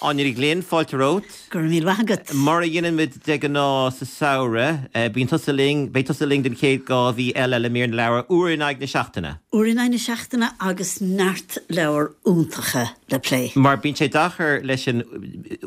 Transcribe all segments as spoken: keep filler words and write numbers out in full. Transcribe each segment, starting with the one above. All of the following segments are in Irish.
Áine Ní Ghlinn, fáilte romhat. Go raibh míle maith agat. Mar a dhéanaimid de ghnáth sa samhradh, bíonn tusa linn, beidh tusa linn den chéad dhá mhí eile le mír na leabhar, uair in aghaidh na seachtaine. Uair in aghaidh na seachtaine agus neart leabhar iontacha le plé. Mar bíonn sé deacair leis an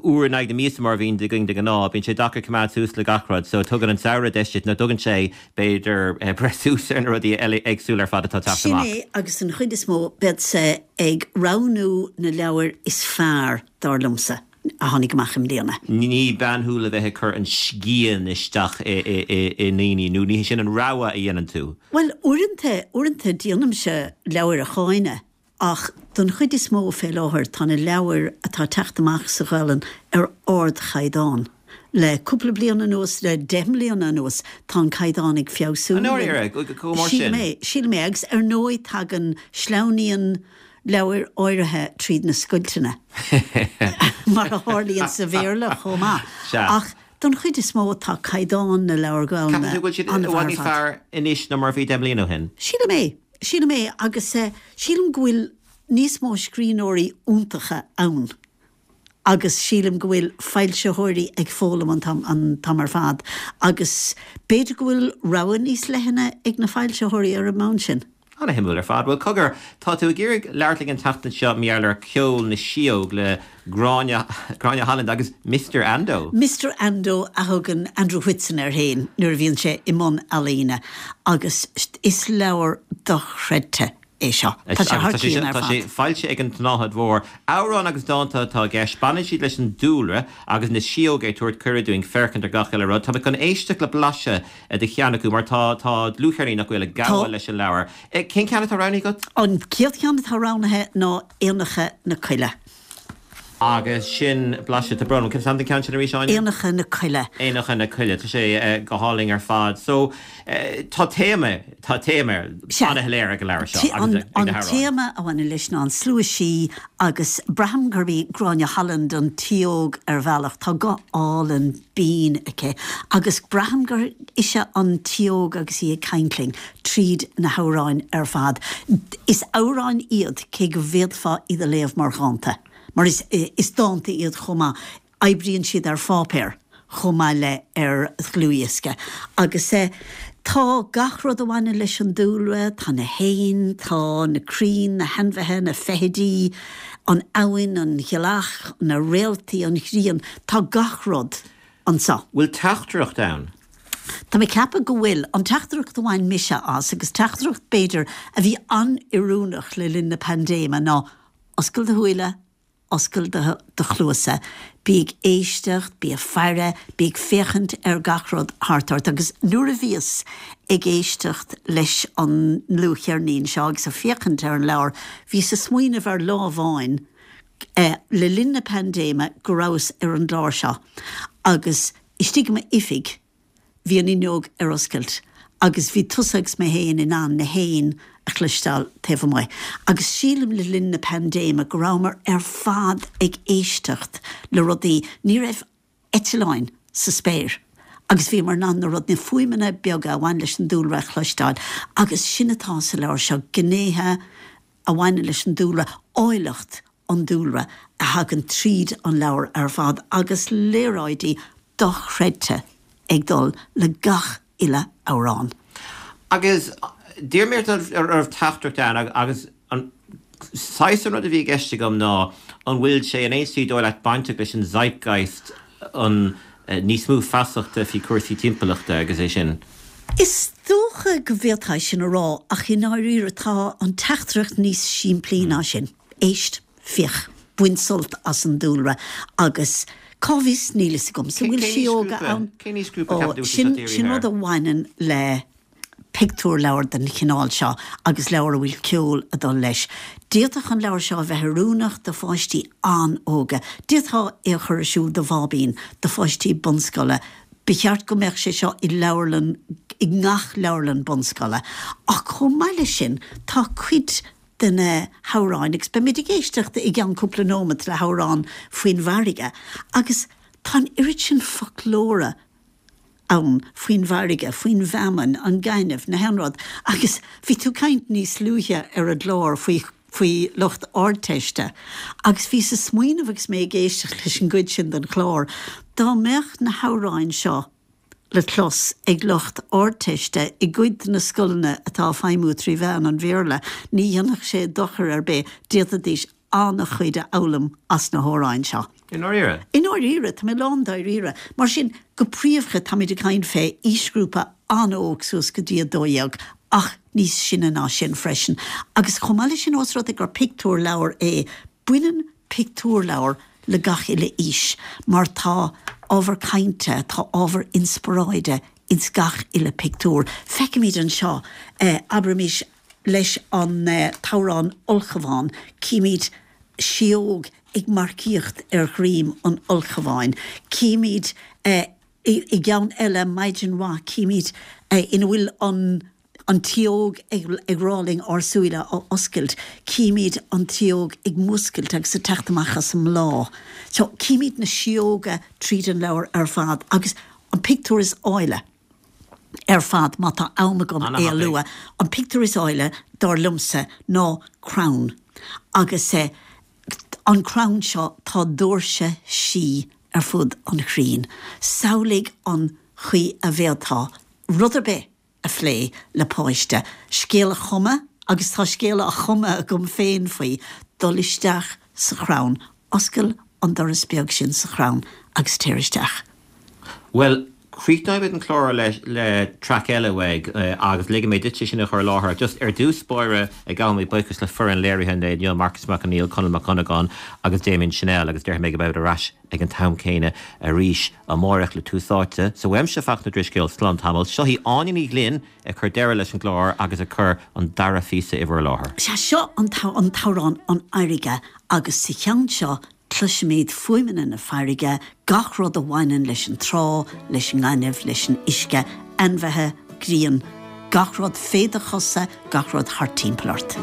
uair in aghaidh na míosa mar a bhíonn againn de ghnáth, bíonn sé deacair coimeád suas le gach rud, so tugann an samhradh deis duit, nó tugann sé b'fhéidir breith suas ar na rudaí eile éagsúla ar fad atá ag teacht Sin amach. é agus an chuid is mó beadsa ag roghnú na leabhair is fearr dar liomsa a tháinig amach i mbliana. Ní bean thú le bheith ag cur an scian isteach i ndaoine nó ní sin an rogha a dhéanann tú. Well uaireanta uaireanta déanaimse leabhair a cháineadh ach don chuid is mó fé láthair tá na leabhair atá ag teacht amach sa Ghaelainn ar ardchaighdeán. Le cúpla bliain anuas le deich mbliana anuas tá an caighdeán ag feabhsú. An dáiríre, chomh mór sin? Sílim é, sílim é agus ar ndóigh tagann sleamhnaíonn leabhair áirithe tríd na scoilteanna mar a tharlaíonn sa Bhéarla chomh maith. Sea. Ach don chuid is mó tá caighdeán na leabhar Gaelainne Ceapann tú go bhfuil siad i bhfad níos fearr anois ná mar a bhí deich mbliana ó shin? Sílim é, sílim é agus sílim go bhfuil níos mó scríbhneoirí iontacha ann agus sílim go bhfuil foilsitheoirí ag foghlaim an t-am an t-am ar fad agus b'fhéidir go bhfuil rogha níos leithne ag na foilsitheoirí ar an mbonn sin. Ana-shuimiúil ar fad. Bhuel, cogar, tá tú ag iarraidh labhairt linn an tseachtain seo mar gheall ar Ceol na Síóg le Gráinne, Gráinne Holland agus Mister Ando. Mister Ando a thugann Andrew Whitson air féin nuair a bhíonn sé i mbun ealaíne agus is leabhar dochreidte é seo. Tá sé thar cionn ar Tá sé fad. foilsithe ag an tSnáthaid Mhór. Amhráin agus dánta atá i gceist. Baineann siad leis an dúlra agus na síóga ag tabhairt cuireadh dúinn féachaint ar gach uile rud. Tá mé chun éisteacht le blaiseadh de cheann acu mar tá tá dlúthcheirnín nach bhfuil ag gabháil leis an leabhar. Cén ceann atá roghnaithe agat? An chéad cheann atá roghnaithe ná Éanacha na Coille. Agus sin blaiseadh, tá brón orm, cén ceann sin arís, Áine? Éanacha na Coille. Éanacha na Coille, tá sé go hálainn ar fad. So, tá téama, tá téama an-shoiléir ag an leabhar seo agus ag An na hamhráin. téama a bhaineann leis ná an slua sí agus braithim gurb í Gráinne Holland an tsíóg ar bhealach, tá guth álainn binn aici agus braithim gur ise an tsíóg agus í ag caint linn tríd na hamhráin ar fad. Is amhráin iad cé go bhféadfá iad a léamh mar dhánta. Mar is, is dánta iad chomh maith. Oibríonn siad ar pháipéar chomh maith le ar dhlúthdhiosca. Agus eh, tá gach rud a bhaineann leis an dúlra, tá na héin, tá na crainn, na hainmhithe, na feithidí, an abhainn, an ghealach, na réaltaí, an ghrian, tá gach rud anseo. Bhfuil teachtaireacht ann? Tá mé ag ceapadh go bhfuil. An teachtaireacht a bhain mise as, agus teachtaireacht b'fhéidir a bhí an-oiriúnach le linn na paindéime ná oscail do shúile, oscail do do chluasa, bí ag éisteacht, bí ag faire, bí ag féachaint ar gach rud thart ort. Agus nuair a bhíos ag éisteacht leis an ndlúthcheirnín seo agus ag féachaint ar an leabhar, bhíos ag smaoineamh ar lá amháin le linn na paindéime go rabhas ar an gclár seo agus istigh i m'oifig, Bhí an fhuinneog ar oscailt agus bhí tusa agus mé féin in ann na héin a chloisteáil taobh amuigh. Agus sílim le linn na paindéime go rabhamar ar fad ag éisteacht le rudaí, ní raibh eitleáin sa spéir agus bhíomar in ann na rud, na fuaimeanna beaga a bhain leis an dúlra a chloisteáil. Agus sin atá sa leabhar seo, gnéithe a bhaineann leis an dúlra, áilleacht an dúlra a thagann tríd an leabhar ar fad agus léaráidí dochreidte ag dul le gach uile amhrán. Agus d'iarr mé ort an raibh teachtaireacht ann agus an saghas an rud a bhí i gceist agam ná an bhfuil sé in aon slí dóigh leat bainteach leis an zeitgeist an níos mó feasachta faoi chúrsaí timpeallachta agus é sin? Is dócha go bhféadfá sin a rá ach i ndáiríre tá an teachtaireacht níos simplí ná sin. Éist, féach, bain sult as an dúlra agus cá bhfios, níl fhios agamsa, an bhfuil síóga ann? Cén aoisghrúpa a Ó, cheapann tú sin, atá sin dírithe rud air? a bhaineann le pictiúrleabhar den chineál seo agus leabhar a bhfuil ceol ag dul leis. D'fhéadfadh an leabhar seo a bheith oiriúnach do pháistí an-óga. D'fhéadfá é a chur ar siúl do bháibín, do pháistí bunscoile. Ba cheart go mbeadh sé seo i leabharlann, i ngach leabharlann bunscoile. Ach chomh maith leis sin, tá cuid de na hamhráin, agus beimid ag éisteacht i gceann cúpla nóiméad le hamhrán faoin bhfarraige, agus tá an oiread sin foclóra ann faoin bhfarraige, faoin bhfeamainn, an gaineamh, na haon rud, agus bhí tú ag caint níos luaithe ar an gclár faoi faoi lucht Ardteiste. Agus bhíos ag smaoineamh agus mé ag éisteacht leis an gcuid sin den chlár, dá mbeadh na hamhráin seo le clos ag lucht Ardteiste i gcuid de na scoileanna atá ag feidhmiú trí mheán an Bhéarla, ní dhéanfadh sé dochar ar bith, d'fhéadfaidís an-chuid a fhoghlaim as na hamhráin seo. I ndáiríre? I ndáiríre, tá mé lán dáiríre. Mar sin, go príomha táimid ag caint fé aoisghrúpa an-óg suas go dtí a dó dhéag, ach níos sine ná sin freisin. Agus chomh maith leis sin, ós rud é gur pictiúrleabhar é, baineann pictiúrleabhar le gach uile aois, mar tá ábhar cainte, tá ábhar inspioráide ins gach uile pictiúr. Feicimid anseo, abraimis, leis an t-amhrán Ulchabhán, címid sióg ag marcaíocht ar dhroim an ulchabháin. Címid i gceann eile, Maidin Mhaith, címid ina bhfuil an an tsióg ag rá linn ár súile a oscailt, címid an tsióg ag múscailt agus ag teacht amach as an mbláth. So, címid na sióga tríd an leabhar ar fad agus an pictiúr is áille ar fad, má tá am agam é a lua, an pictiúr is áille, dar liomsa, ná crann. Agus an crann seo, tá doirse sí ar fud an chrainn. Samhlaigh an chaoi a bhféadfá rud ar bith a phlé le páiste, scéal a chumadh, agus tá scéal á chumadh agam féin faoi, dul isteach sa chrann, oscail an doras beag sin sa chrann agus téir isteach. Bhuel, críochnóimid an clár le le traic eile uaidh agus ligfidh mé duitse sin a chur i láthair. Just ar dtús báire, gabhaim buíochas le foireann léirithe an lae inniu, Marcus Mac Conghail, Conall Mac Dhonnagáin agus Damien Channel agus déarfaidh mé go mbeimid ar ais ag an t-am céanna arís amárach le Tús Áite. So uaimse Fachtna Ó Drisceoil, slán tamall. Seo í Áine Ní Ghlinn ag cur deireadh leis an gclár agus ag cur an dara phíosa i bhur láthair. Sea, seo an t-amhrán An Fharraige agus sa cheann seo cloisimid fuaimeanna na farraige, gach rud a bhaineann leis an trá, leis an ngaineamh, leis an uisce, ainmhithe, grian, gach rud fé do chosa, gach rud thart timpeall ort.